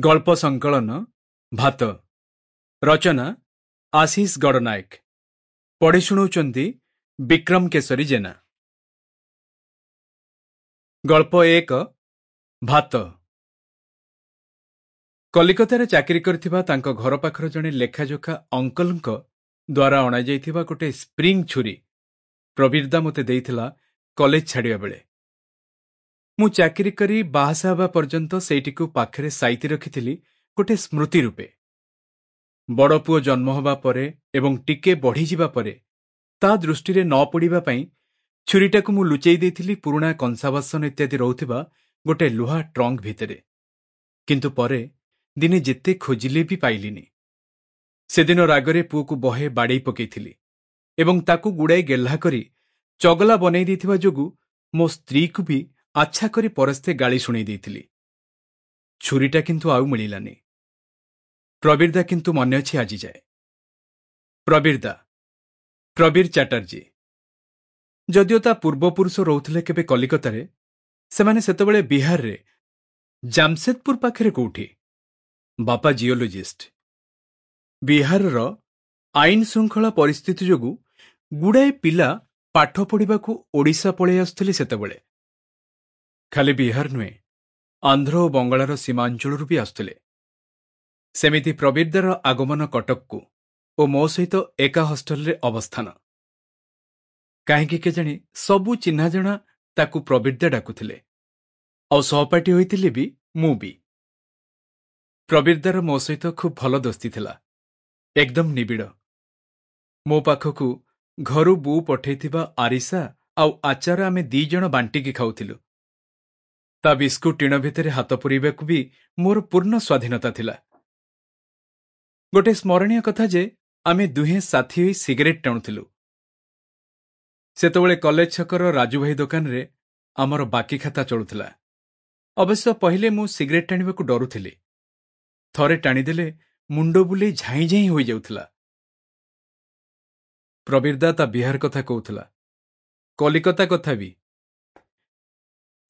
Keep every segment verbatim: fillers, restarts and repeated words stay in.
ଗଳ୍ପ ସଂକଳନ ଭାତ, ରଚନା ଆଶିଷ ଗଡ଼ନାୟକ, ପଢ଼ି ଶୁଣାଉଛନ୍ତି ବିକ୍ରମ କେଶରୀ ଜେନା। ଗଳ୍ପ ଏକ, ଭାତ। କଲିକତାରେ ଚାକିରି କରିଥିବା ତାଙ୍କ ଘର ପାଖର ଜଣେ ଲେଖାଯୋଖା ଅଙ୍କଲଙ୍କ ଦ୍ୱାରା ଅଣାଯାଇଥିବା ଗୋଟେ ସ୍ପ୍ରିଙ୍ଗ ଛୁରୀ ପ୍ରବୀରଦା ମୋତେ ଦେଇଥିଲା କଲେଜ ଛାଡ଼ିବା ବେଳେ। ମୁଁ ଚାକିରି କରି ବାହାସାହା ହେବା ପର୍ଯ୍ୟନ୍ତ ସେଇଟିକୁ ପାଖରେ ସାଇତି ରଖିଥିଲି ଗୋଟେ ସ୍ମୃତି ରୂପେ। ବଡ଼ ପୁଅ ଜନ୍ମ ହେବା ପରେ ଏବଂ ଟିକେ ବଢ଼ିଯିବା ପରେ ତା ଦୃଷ୍ଟିରେ ନ ପଡ଼ିବା ପାଇଁ ଛୁରୀଟାକୁ ମୁଁ ଲୁଚେଇ ଦେଇଥିଲି ପୁରୁଣା କଂସାବାସନ ଇତ୍ୟାଦି ରହୁଥିବା ଗୋଟେ ଲୁହା ଟ୍ରଙ୍କ ଭିତରେ। କିନ୍ତୁ ପରେ ଦିନେ ଯେତେ ଖୋଜିଲେ ବି ପାଇଲିନି। ସେଦିନ ରାଗରେ ପୁଅକୁ ବହେ ବାଡ଼େଇ ପକେଇଥିଲି ଏବଂ ତାକୁ ଗୁଡ଼ାଏ ଗେହ୍ଲା କରି ଚଗଲା ବନେଇ ଦେଇଥିବା ଯୋଗୁଁ ମୋ ସ୍ତ୍ରୀକୁ ବି ଆଚ୍ଛା କରି ପରସ୍ତେ ଗାଳି ଶୁଣେଇ ଦେଇଥିଲି। ଛୁରୀଟା କିନ୍ତୁ ଆଉ ମିଳିଲାନି। ପ୍ରବୀରଦା କିନ୍ତୁ ମନେ ଅଛି ଆଜି ଯାଏ। ପ୍ରବୀରଦା, ପ୍ରବୀର ଚାଟାର୍ଜୀ। ଯଦିଓ ତା ପୂର୍ବପୁରୁଷ ରହୁଥିଲେ କେବେ କଲିକତାରେ, ସେମାନେ ସେତେବେଳେ ବିହାରରେ ଜାମସେଦପୁର ପାଖରେ କୋଉଠି। ବାପା ଜିଓଲୋଜିଷ୍ଟ। ବିହାରର ଆଇନ ଶୃଙ୍ଖଳା ପରିସ୍ଥିତି ଯୋଗୁଁ ଗୁଡ଼ାଏ ପିଲା ପାଠ ପଢ଼ିବାକୁ ଓଡ଼ିଶା ପଳେଇ ଆସୁଥିଲେ ସେତେବେଳେ। ଖାଲି ବିହାର ନୁହେଁ, ଆନ୍ଧ୍ର ଓ ବଙ୍ଗଳାର ସୀମାଞ୍ଚଳରୁ ବି ଆସୁଥିଲେ। ସେମିତି ପ୍ରବୀରଦାର ଆଗମନ କଟକକୁ ଓ ମୋ ସହିତ ଏକା ହଷ୍ଟେଲରେ ଅବସ୍ଥାନ। କାହିଁକି କେଜାଣି ସବୁ ଚିହ୍ନାଜଣା ତାକୁ ପ୍ରବୀରଦା ଡାକୁଥିଲେ, ଆଉ ସହପାଠୀ ହୋଇଥିଲି ବି ମୁଁ ବି। ପ୍ରବୀରଦାର ମୋ ସହିତ ଖୁବ୍ ଭଲ ଦୋସ୍ତି ଥିଲା, ଏକଦମ ନିବିଡ଼। ମୋ ପାଖକୁ ଘରୁ ବୋଉ ପଠେଇଥିବା ଆରିସା ଆଉ ଆଚାର ଆମେ ଦି ଜଣ ବାଣ୍ଟିକି ଖାଉଥିଲୁ। ତା ବିସ୍କୁଟ ଟିଣ ଭିତରେ ହାତ ପୁରେଇବାକୁ ବି ମୋର ପୂର୍ଣ୍ଣ ସ୍ୱାଧୀନତା ଥିଲା। ଗୋଟେ ସ୍ମରଣୀୟ କଥା ଯେ ଆମେ ଦୁହେଁ ସାଥୀ ହୋଇ ସିଗାରେଟ୍ ଟାଣୁଥିଲୁ। ସେତେବେଳେ କଲେଜ ଛକର ରାଜୁ ଭାଇ ଦୋକାନରେ ଆମର ବାକି ଖାତା ଚଳୁଥିଲା। ଅବଶ୍ୟ ପହିଲେ ମୁଁ ସିଗାରେଟ୍ ଟାଣିବାକୁ ଡରୁଥିଲି। ଥରେ ଟାଣିଦେଲେ ମୁଣ୍ଡ ବୁଲେଇ ଝାଇଁ ଝାଇଁ ହୋଇଯାଉଥିଲା। ପ୍ରବୀରଦା ତା ବିହାର କଥା କହୁଥିଲା, କଲିକତା କଥା ବି।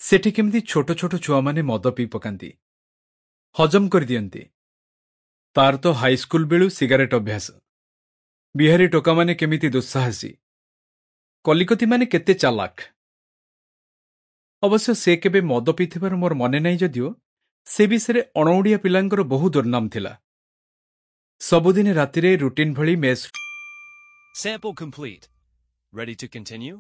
ସେଠି କେମିତି ଛୋଟ ଛୋଟ ଛୁଆମାନେ ମଦ ପିଇ ପକାନ୍ତି, ହଜମ କରିଦିଅନ୍ତି। ତାର ତ ହାଇସ୍କୁଲ ବେଳୁ ସିଗାରେଟ୍ ଅଭ୍ୟାସ। ବିହାରୀ ଟୋକାମାନେ କେମିତି ଦୁଃସାହସୀ, କଲିକତୀମାନେ କେତେ ଚାଲାକ। ଅବଶ୍ୟ ସେ କେବେ ମଦ ପିଇଥିବାର ମୋର ମନେ ନାହିଁ, ଯଦିଓ ସେ ବିଷୟରେ ଅଣଓଡ଼ିଆ ପିଲାଙ୍କର ବହୁ ଦୁର୍ନାମ ଥିଲା। ସବୁଦିନ ରାତିରେ ରୁଟିନ୍ ଭଳି mess Sample complete. Ready to continue?